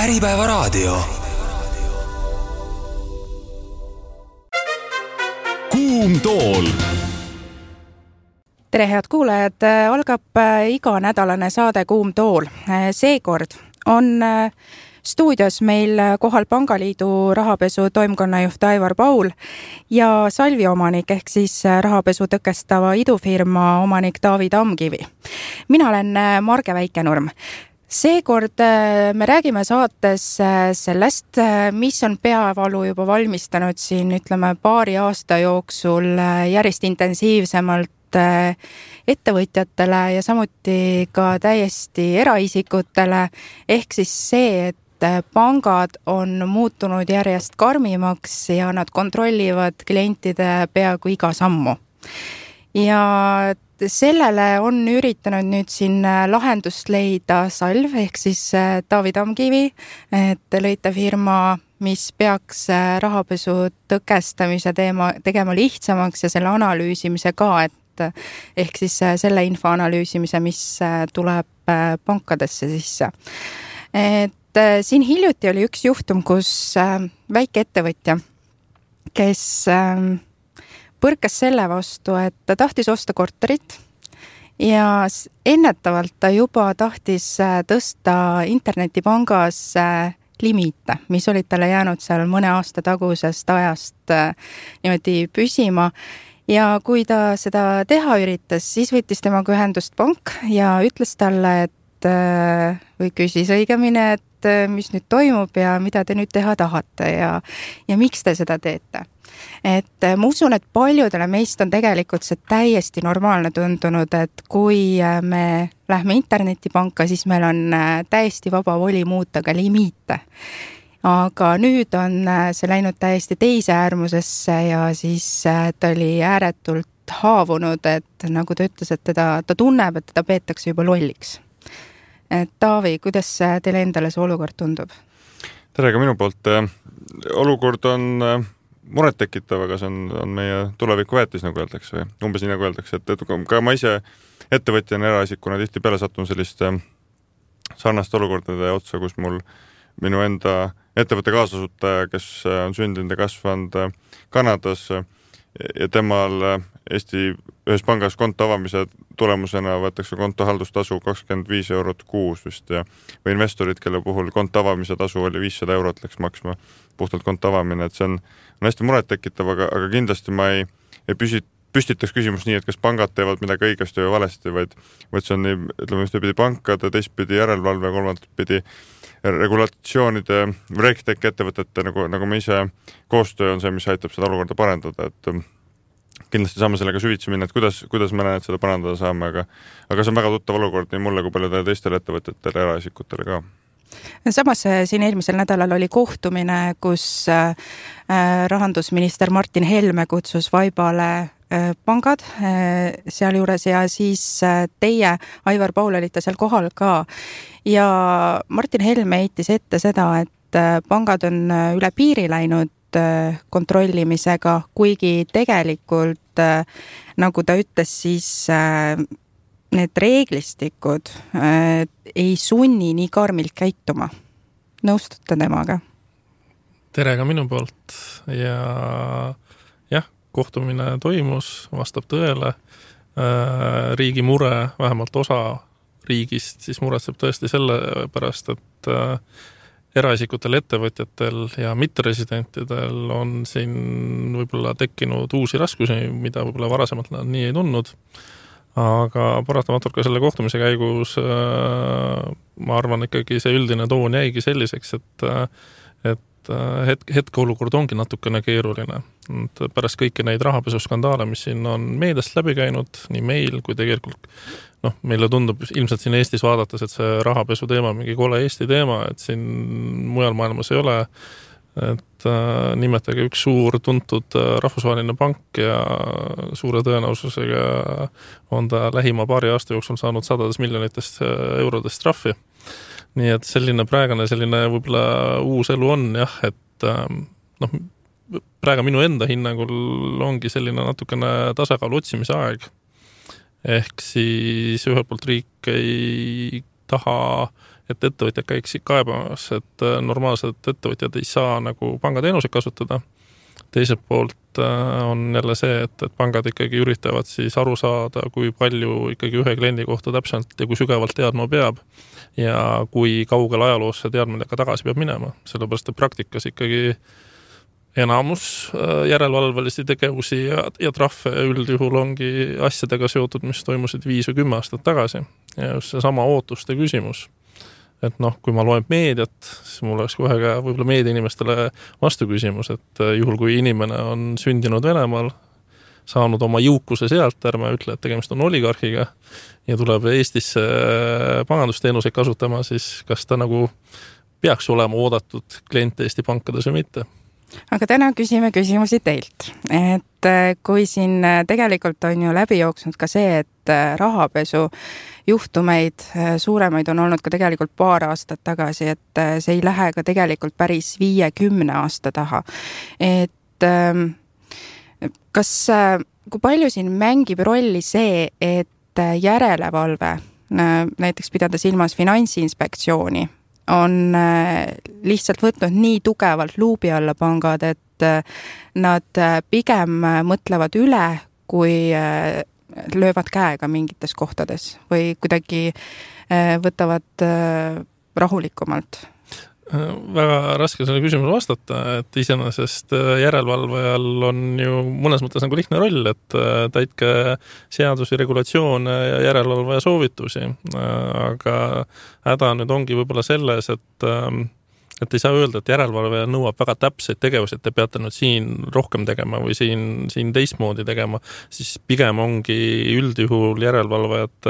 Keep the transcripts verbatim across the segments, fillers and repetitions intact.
Äripäevaraadio. Kuum tool. Tere head kuulajad, algab iganädalane saade Kuum tool. Seekord on stuudios meil kohal Pangaliidu rahapesu toimkonnajuht Aivar Paul ja Salvi omanik ehk siis rahapesu tõkestava idufirma omanik Taavi Tamkivi. Mina olen Marge Väikenurm. Seekord me räägime saates sellest, mis on peavalu juba valmistanud siin, ütleme, paari aasta jooksul järjest intensiivsemalt ettevõtjatele ja samuti ka täiesti eraisikutele, ehk siis see, et pangad on muutunud järjest karmimaks ja nad kontrollivad klientide peaaegu iga sammu. Ja sellele on üritanud nüüd siin lahendust leida Salv, ehk siis Taavi Tamkivi, et te lõite firma, mis peaks rahapesu tõkestamise teema tegema lihtsamaks ja selle analüüsimise ka, et ehk siis selle info analüüsimise, mis tuleb pankadesse sisse. Et siin hiljuti oli üks juhtum, kus väike ettevõtja, kes põrkas selle vastu, et ta tahtis osta korterit ja ennetavalt ta juba tahtis tõsta internetipangas limiite, mis olid talle jäänud seal mõne aasta tagusest ajast niimoodi püsima. Ja kui ta seda teha üritas, siis võttis temaga ühendust pank ja ütles talle, et või küsis õigemini, et mis nüüd toimub ja mida te nüüd teha tahate ja, ja miks te seda teete. Et ma usun, et paljudele meist on tegelikult see täiesti normaalne tundunud, et kui me lähme internetipanka, siis meil on täiesti vaba voli muuta ka limiite. Aga nüüd on see läinud täiesti teise äärmusesse ja siis ta oli ääretult haavunud, et nagu ta ütles, et teda, ta tunneb, et teda peetakse juba lolliks. Et Taavi, kuidas teile endale see olukord tundub? Tere ka minu poolt. Olukord on muret tekitav, aga see on, on meie tuleviku väetis, nagu öeldakse, või umbes nii nagu öeldakse, et, et ka ma ise ettevõtjana eraisikuna tihti peale sattun selliste sarnaste olukordade otsa, kus mul minu enda ettevõtte kaasasutaja, kes on sündinud ja kasvanud Kanadas ja temal Eesti ühes pangas konto avamise tulemusena võetakse konto haldustasu kakskümmend viis eurot kuus vist ja või investorid, kelle puhul konto avamise tasu oli viissada eurot läks maksma puhtalt konto avamine, et see on, on hästi muret tekitav, aga, aga kindlasti ma ei, ei püsit, püstitaks küsimus nii, et kas pangad teevad midagi õigesti või valesti, vaid, vaid see on nii, ütleme, ühtepidi pankade, teistpidi järelevalve, kolmandatpidi regulatsioonide, RegTech ettevõtete, nagu, nagu me ise koostöö on see, mis aitab seda olukorda parendada, et kindlasti saame sellega süvitsi minna, et kuidas, kuidas me näen, et seda parandada saame, aga, aga see on väga tuttav olukord nii mulle kui paljudele teistele ettevõtetele ja eraisikutele ka. Samas siin eelmisel nädalal oli kohtumine, kus rahandusminister Martin Helme kutsus vaibale pangad seal juures ja siis teie, Aivar Paul, olite seal kohal ka. Ja Martin Helme heitis ette seda, et pangad on üle piiri läinud kontrollimisega, kuigi tegelikult, nagu ta ütles, siis need reeglistikud ei sunni nii karmilt käituma. Nõustute temaga? Tere ka minu poolt ja jah, kohtumine toimus, vastab tõele. Riigi mure, vähemalt osa riigist, siis muretseb tõesti selle pärast, et eraisikutel, ettevõtjatel ja mitteresidentidel on siin võib-olla tekkinud uusi raskusi, mida võib-olla varasemalt nad nii ei tundnud. Aga paratamatult ka selle kohtumise käigus ma arvan ikkagi see üldine toon jäigi selliseks, et, et hetk, hetke olukord ongi natukene keeruline. Pärast kõiki neid rahapesuskandaale, mis siin on meediast läbi käinud, nii meil kui tegelikult noh, meile tundub ilmselt siin Eestis vaadates, et see rahapesu teema mingi kole Eesti teema, et siin mujal maailmas ei ole, et äh, nimetage üks suur tuntud rahvusvaheline pank ja suure tõenäosusega on ta lähima paari aasta jooksul saanud sadades miljonitest eurodest trahvi. Nii et selline praegane selline võib-olla uus elu on jah, et äh, noh, praegu minu enda hinnangul ongi selline natukene tasakaalu otsimise aeg. Ehk siis ühelt poolt riik ei taha et ettevõtjad käiksid kaebamas, et normaalsed ettevõtjad ei saa nagu pangateenuseid kasutada. Teiselt poolt on jälle see, et, et pangad ikkagi üritavad siis aru saada, kui palju ikkagi ühe kliendi kohta täpselt ja kui sügavalt teadma peab ja kui kaugel ajaloos see teadmine ka tagasi peab minema. Sellepärast, et praktikas ikkagi enamus järelevalvelisi tegevusi ja, ja trahve üldjuhul ongi asjadega seotud, mis toimusid viis või kümme aastat tagasi. Ja just see sama ootuste küsimus. Et noh, kui ma loen meediat, siis mul oleks kohe ka võib-olla meediainimestele vastu küsimus, et juhul kui inimene on sündinud Venemaal, saanud oma jõukuse sealt, ärme ütle, et tegemist on oligarhiga ja tuleb Eestisse pangandusteenuseid kasutama, siis kas ta nagu peaks olema oodatud klient Eesti pankades või mitte? Aga täna küsime küsimusi teilt, et kui siin tegelikult on ju läbi jooksnud ka see, et rahapesu juhtumeid suuremaid on olnud ka tegelikult paar aastat tagasi, et see ei lähe ka tegelikult päris viiekümne aasta taha. Et kas, kui palju siin mängib rolli see, et järelevalve, näiteks pidada silmas Finantsinspektsiooni, on lihtsalt võtnud nii tugevalt luubi alla pangad, et nad pigem mõtlevad üle, kui löövad käega mingites kohtades või kuidagi võtavad rahulikumalt? Väga raske selle küsimuse vastata, et iseenesest järelevalvajal on ju mõnes mõttes nagu lihtne roll, et täitke seadusi, regulatsioone ja järelevalvaja soovitusi, aga häda nüüd ongi võib-olla selles, et et ei saa öelda, et järelevalvaja nõuab väga täpseid tegevusi, et te peate nüüd siin rohkem tegema või siin, siin teistmoodi tegema, siis pigem ongi üldjuhul järelevalvajad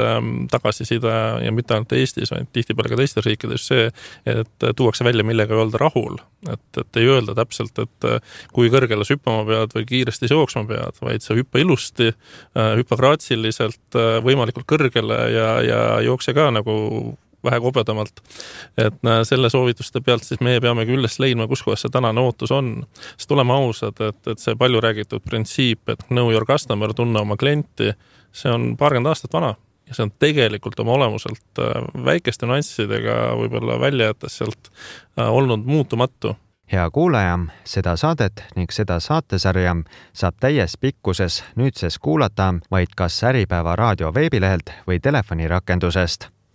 tagasiside ja mitte ainult Eestis, vaid tihtipeale ka teistes riikides see, et tuuakse välja, millega ei öelda rahul. Et, et ei öelda täpselt, et kui kõrgele sa hüppama pead või kiiresti jooksma pead, vaid sa hüppa ilusti, hüppa graatsiliselt, võimalikult kõrgele ja, ja jookse ka nagu vähe kobedamalt. Et selle soovituste pealt siis meie peamegi üles leidma, kus kohas see tänane ootus on. Sest oleme ausad, et, et see palju räägitud printsiip, et know your customer, tunne oma klienti, see on paarkümmend aastat vana ja see on tegelikult oma olemuselt väikeste nüanssidega võib-olla välja jättes sealt olnud muutumatu. Hea kuulaja, seda saadet ning seda saatesarja saab täies pikkuses nüüdses kuulata vaid kas Äripäeva raadio veebilehelt või telefonirakendusest.